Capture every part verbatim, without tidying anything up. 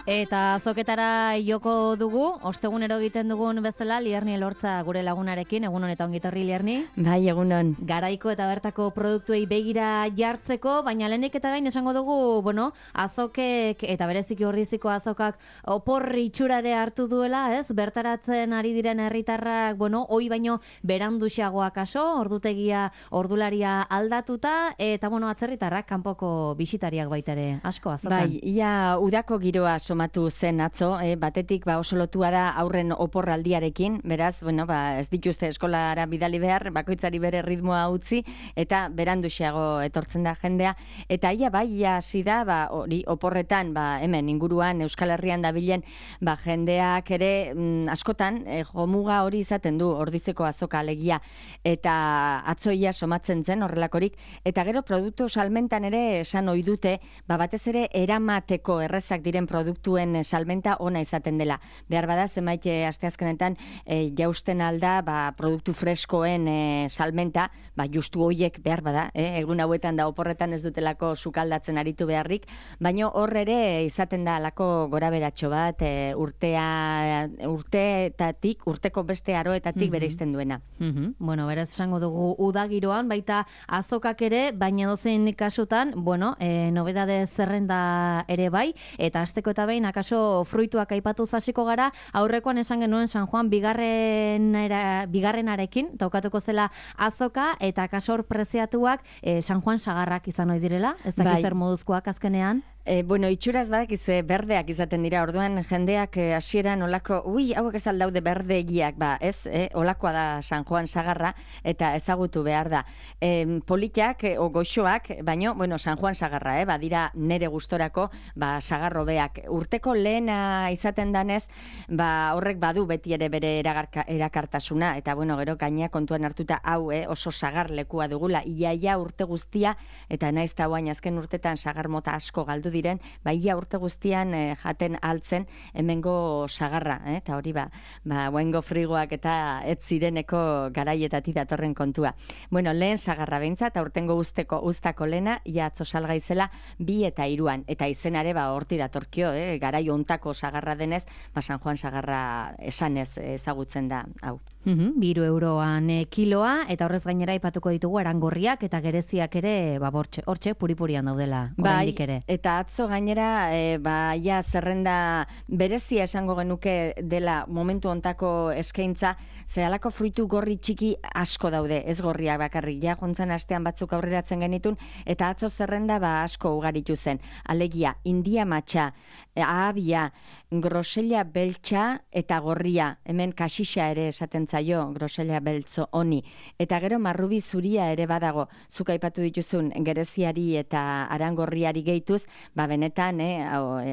Eta azoketara joko dugu, ostegunero egiten dugun bezala, Lierni Elortza gure lagunarekin, egunon eta ongitorri Lierni. Bai, egunon. Garaiko eta bertako produktuei begira jartzeko, baina lehenik eta behin esango dugu, bueno, azokek eta bereziki Orriziko azokak opor itxurare hartu duela, ez? Bertaratzen ari diren herritarrak, bueno, hoi baino beranduxagoak aso, ordutegia, ordularia aldatuta, eta bueno, atzerritarrak kanpoko bisitariak baita ere asko azokan. Bai, ia udako giroa somatu zen atzo, eh, batetik ba oso lotua da aurren oporraldiarekin, beraz, bueno, ba ez dituzte eskolara bidali behar, bakoitzari bere ritmoa utzi eta beranduxeago etortzen da jendea, eta ia bai ia hasi da, ba hori oporretan, ba hemen inguruan Euskal Herrian dabilen, ba jendeak ere mm, askotan eh, jomuga hori izaten du Ordizeko azoka alegia, eta atzoia somatzen zen horrelakorik, eta gero produktu salmentan ere esan ohi dute, ba batez ere eramateko errezak diren produktuen salmenta ona izaten dela. Behar bada zenbait asteazkenetan e, jausten alda ba, produktu freskoen e, salmenta, ba, justu hoiek behar bada, eh? Egun hauetan da oporretan ez dutelako sukaldatzen aritu beharrik, baina hor ere izaten da alako goraberatxo bat e, urtea, urteetatik, urteko beste aroetatik mm-hmm. bereizten duena. Mm-hmm. Bueno, berez esango dugu udagiroan, baita azokak ere, baina dozein kasutan, bueno, e, nobedade zerrenda ere bai, eta asteko eta behin akaso fruituak aipatu hasiko gara, aurrekoan esan genuen San Juan bigarren era, bigarrenarekin tokatuko zela azoka, eta akaso hor preziatuak e, San Juan sagarrak izan ohi direla, ez dakiz zer moduzkoak azkenean. E, bueno, itxuraz badakizue berdeak izaten dira, orduan jendeak hasieran e, olako, ui, hauek ez aldaude berde egiak, ba, ez, e, olakoa da San Juan sagarra, eta ezagutu behar da. E, politak, e, o goxoak, baino, bueno, San Juan sagarra, eh, badira nere gustorako, ba, sagarro beak. Urteko lehena izaten danez, ba, horrek badu beti ere bere eragarka, erakartasuna, eta bueno, gero gaina kontuan hartuta hau, eh, oso sagar lekua dugula, iaia urte guztia, eta naiz ta guain azken urtetan sagar mota asko galdu diren, ba ia urte guztian eh, jaten altzen hemengo sagarra, eh? Eta hori ba, ba guaingo frigoak eta ez zireneko garaietatik datorren kontua. Bueno, lehen sagarra behintzat, aurtengo usteko uztako lena, ia atzo salgaizela bi eta hiruan, eta izenare ba horti datorkio, eh? Garai hontako sagarra denez, ba San Juan sagarra esanez ezagutzen da hau. Mm-hmm, biru euroan e, kiloa, eta horrez gainera aipatuko ditugu arangorriak eta gereziak ere, ba, bortxe, hortxe puripurian daudela, oraindik ere. Eta atzo gainera, e, ba, ja zerrenda berezia esango genuke dela momentu hontako eskaintza, zehalako fruitu gorri txiki asko daude, ez gorriak bakarrik, ja jontzan astean batzuk aurreratzen genitun, eta atzo zerrenda ba asko ugaritu zen. Alegia, india matxa, ahabia, grosella beltza eta gorria, hemen kasixa ere esaten zaio, grosella beltzo honi, eta gero marrubi zuria ere badago, zuk aipatu dituzun gereziari eta arangorriari gehituz, ba benetan eh,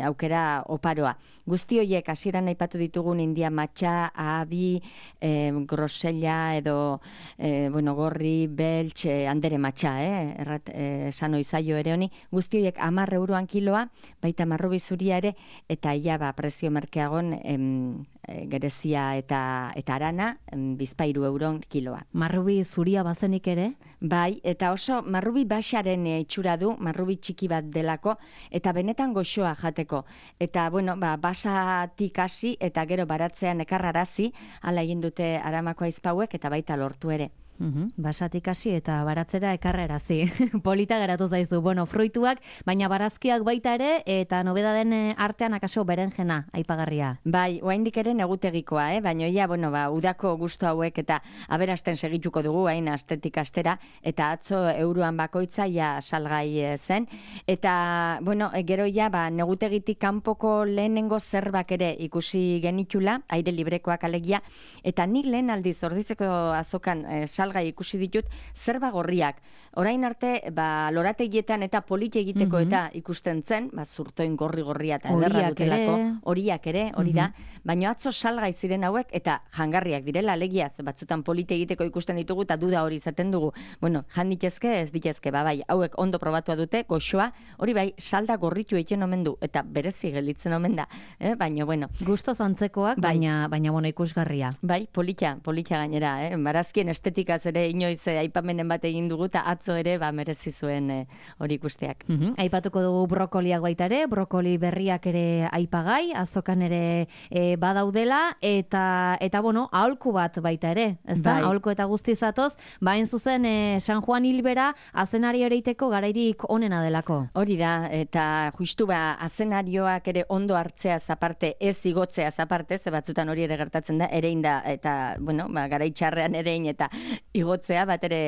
aukera oparoa. Guzti horiek hasieran aipatu ditugun india matxa, ahabi, eh, grosella edo eh, bueno, gorri, beltz, eh, andere matxa, eh, errat eh, esan oizaio ere honi, guzti horiek hamar euroan kiloa, baita marrubi zuria ere, eta ia ba prezio merkeagon em, e, gerezia eta eta arana em, bizpairu euron kiloa. Marrubi zuria bazenik ere? Bai, eta oso marrubi baxaren e, itxura du, marrubi txiki bat delako, eta benetan goxoa jateko. Eta, bueno, ba, basatik hasi eta gero baratzean ekarrarazi, hala egin dute Aramako aizpauek eta baita lortu ere. Uhum, basatik hasi eta baratzera ekarrerazi. Polita geratu zaizu. Bueno, fruituak, baina barazkiak baita ere, eta nobedaden artean akaso berenjena aipagarria. Bai, oraindik ere negutegikoa, eh? Baina ja, bueno, ba, udako gustu hauek eta aberasten segituko dugu, hain astetik astera, eta atzo euroan bakoitza ja salgai zen. Eta, bueno, gero ja, ba, negutegitik kanpoko lehenengo zerbak ere ikusi genitula, aire librekoak alegia, eta nik lehen aldiz Ordizeko azokan eh, salgai ikusi ditut zerba gorriak. Orain arte, ba, lorategietan eta polite egiteko mm-hmm. eta ikusten zen, ba, zurtoin gorri-gorria eta ederra dutelako, horiak ere, hori da, mm-hmm. baina atzo salgai ziren hauek eta jangarriak direla, alegia, batzutan polite egiteko ikusten ditugu eta duda hori izaten dugu. Bueno, jan ditezke, ez ditezke, ba, bai, hauek ondo probatua dute, goxoa, hori bai, salda gorritu egiten omen du, eta berezi gelditzen omen da, eh? Baina, bueno. Gusto zantzekoak, bai. baina, baina, bueno, ikusgarria. Bai, polita, polita gainera, eh? Barazkien estetika fruituaz ere inoiz eh, aipamenen bat egin dugu, eta atzo ere ba, merezi zuen eh, hori ikusteak. Mm-hmm. Aipatuko dugu brokoliak baita ere, brokoli berriak ere aipagai, azokan ere e, badaudela, eta, eta bueno, aholku bat baita ere, ez da? Bai. Aholku eta guztizatoz, bain zuzen e, San Juan Hilbera azenari ereiteko garairik onena delako. Hori da, eta justu ba, azenarioak ere ondo hartzeaz aparte, ez igotzeaz aparte, ze batzutan hori ere gertatzen da, erein da, eta, bueno, ba, garaitxarrean erein eta igotzea, bat ere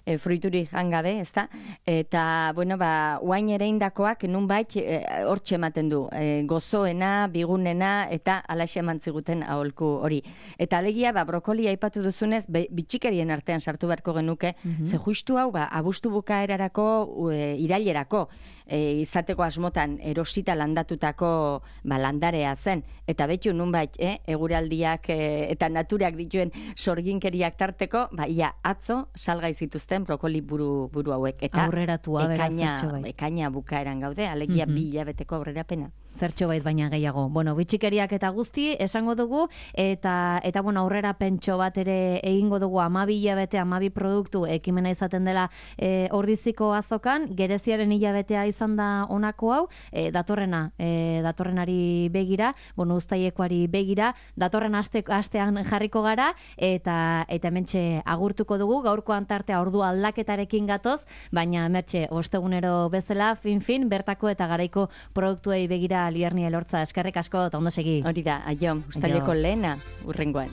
e, fruituri jangabe, ez da? Eta, bueno, ba, uain ereindakoak nunbait e, hortxe ematen du, e, gozoena, bigunena, eta alaxe eman ziguten aholku hori. Eta alegia, ba, brokoli aipatu duzunez, be, bitxikerien artean sartu beharko genuke, mm-hmm. ze justu hau, ba, abustu bukaerarako, e, irailerako, e, izateko asmotan erosita landatutako ba, landarea zen. Eta betu nunbait, eh, eguraldiak e, eta naturak dituen sorginkeriak tarteko, ba, ia atzo salgai zituzten brokoli buru, buru hauek. Eta aurreratua, ekaina, beraz, bai. ekaina bukaeran gaude, alegia mm-hmm. bi hilabeteko aurrerapena. Zertxo bait baina gehiago. Bueno, bitxikeriak eta guzti esango dugu, eta, eta bueno, aurrera pentso bat ere egingo dugu amabi hilabete, amabi produktu ekimena izaten dela e, ordiziko azokan, gereziaren hilabetea izan da honako hau, e, datorrena, e, datorrenari begira, bueno, uztailekoari begira, datorren aste, astean jarriko gara, eta eta hementxe agurtuko dugu, gaurkoan tartea ordu aldaketarekin gatoz, baina hementxe ostegunero bezala, fin-fin, bertako eta garaiko produktuei begira Lierni Elortza, eskerrik asko, eta ondo segi. Hori da, aio, uztaileko lehena, urrengoan.